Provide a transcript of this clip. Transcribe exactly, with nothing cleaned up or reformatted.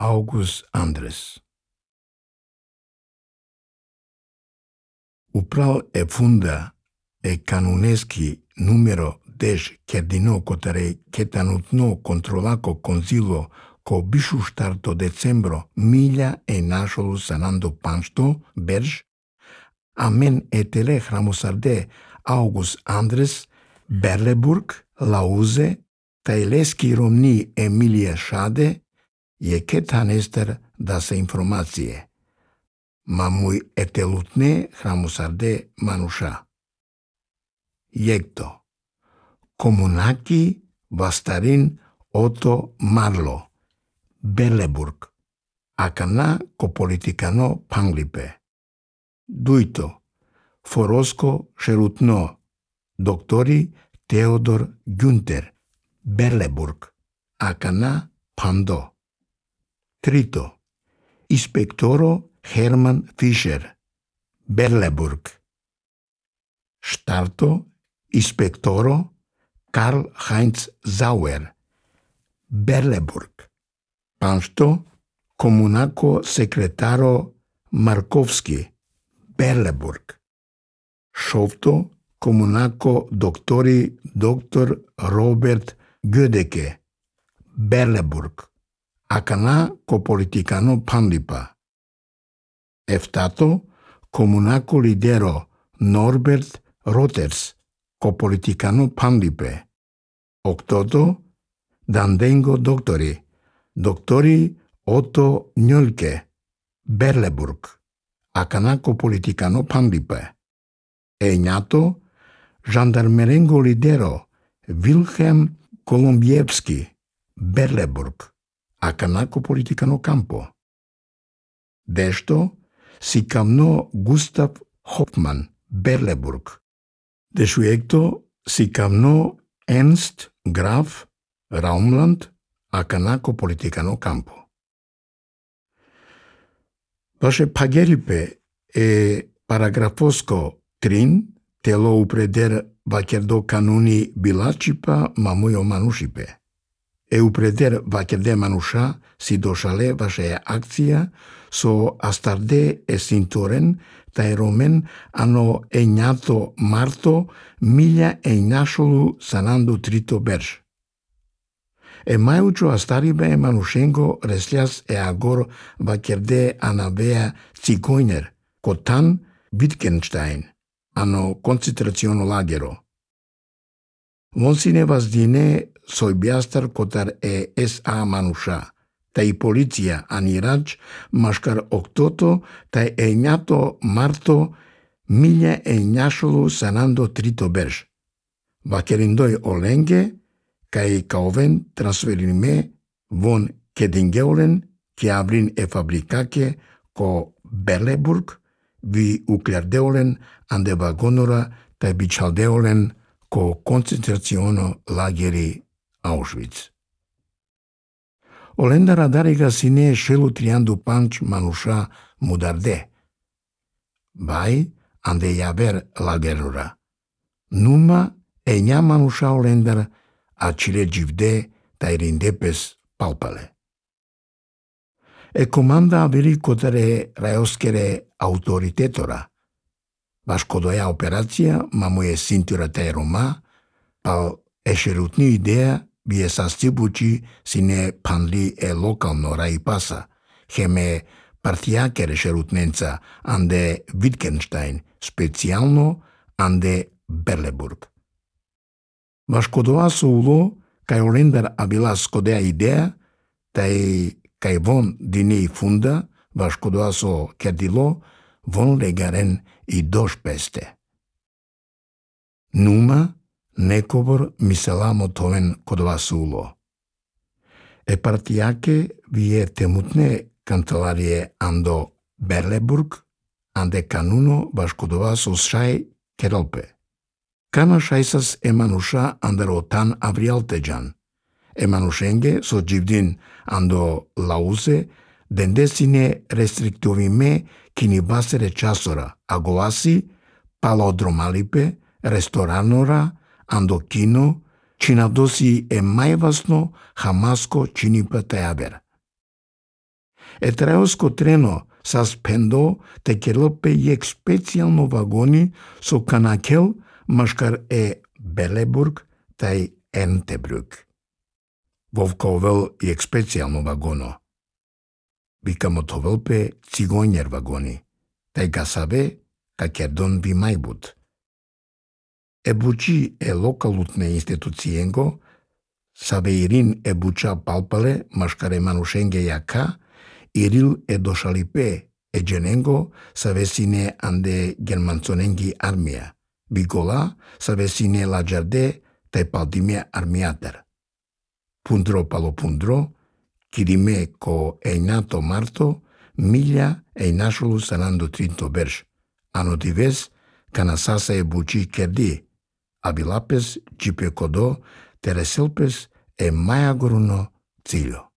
August Andres. Uprал e funda e canuneschi numero deci cherdino cotare chetanutno controlaco consilo co bišu starto decembro mila e našolu sanando panšto berž, amen etele hramosarde August Andres, Berleburg, Lauze, tajleski romni Emilia Šade, je ketanester da se informacije. Ma muy etelutne hramosarde manuša. Jekto. Komunaki vastarin Otto Marlo. Berleburg. Akana ko politikano panglipe. Duito. Forosko šerutno. Doktori Theodor Günther. Berleburg. Akana pando. Trito. Inspektoro Hermann Fischer. Berleburg. Starto. Inspektoro Karl Heinz Sauer. Berleburg. Panšto komunako sekretaro Markovski. Berleburg. Šovto komunako doktori doktor Robert Gödeke. Berleburg. Akana ko politikano panlipa. Eftato komunako lidero Norbert Roters ko politikano panlipe. Oktoto dandengo doktori doktori Otto Njölke. Berleburg. Akana ko politikano panlipe. Eñato žandarmerengo lidero Wilhelm Kolombievski. Berleburg. Akana ko politikano campo. Dešto si kamno Gustav Hoffmann. Berleburg. Desuecto si kamno Ernst Graf Raumland. Akana ko politikano campo. Vaše pageripe e paragrafosko trin telo upreder vakerdo kanuni bilačipa mamujo manušipe. E upreder vakerde manuša si došale vaše akcija so astarde e sintoren taj romen ano eñato marto milja e našolu sanando trito berž. E majučo astaribe e manušengo reslias e agor vakerde anavea Zigeuner, kotan Wittgenstein, ano koncentraciono lagero. Monsine vazdine sojbiastar kotar e S A manuša, taj policija anirač maškar oktoto taj eñato marto milja e našolu sanando trito berž. Vakerindoj olenge, kai kauven transferime von kedingeulen ki abrin e fabrikake ko Berleburg vi uklardeulen ande vagonora tai bicaldeulen ko koncentraciono lageri Auschwitz. Olenda radariga sine šelu triandu panč manuša mudarde. Bai ande javer lagerura. Numa eña manuša olendar a cile givde tai rindepes palpale. E comanda averi cotare raioskere autoritetora. Vaškodoja operacija mamuje sintura tai Roma, pal ešerutni ideja bie sastibuči sine panli e lokalno raipasa, heme partijakere šerutnenca ande Wittgenstein, specijalno ande Berleburg. Vaškodoa so ulo, kaj olendar abila skodea idea, taj kaj von dini funda, vaškodoa so kerdilo, von legaren i doš peste. Numa, nekovor miselamo toven kodova sulo. E partijake vie temutne kancelarije ando Berleburg, ande kanuno vaškodova so šaj kerolpe. Kana šajsas e manuša andaro tan avrialtejan. E manušenge so givdin ando Lauze, dendesine restriktovime kini basere časora, agoasi, palodromalipe, restoranora, ando kino, činadosi e majvasno hamasko činipa teaber. E traeosco treno sas pendo te kelopе jek specijalno vagoni so kanakel maškar e Beleburg taj Entebruk. Vovkovel jek specijalno vagono. Vikamo tovelpe cigojnjer vagoni, taj gasave kakerdon vi majbut. E buci e lokalutne institucijengo saveirin e buca palpale maškare manušenge jaka iril e došalipe e dženengo savesine ande germanconengi armia. Bigola savesine la giarde taj paldime armiater. Pundro palo pundro, kirime ko einato marto, milja einašulu sanando trinto berš. Ano dives, kanasasa e buci kerdi, abilapes, gipe kodo, tereselpes e majagoruno ciljo.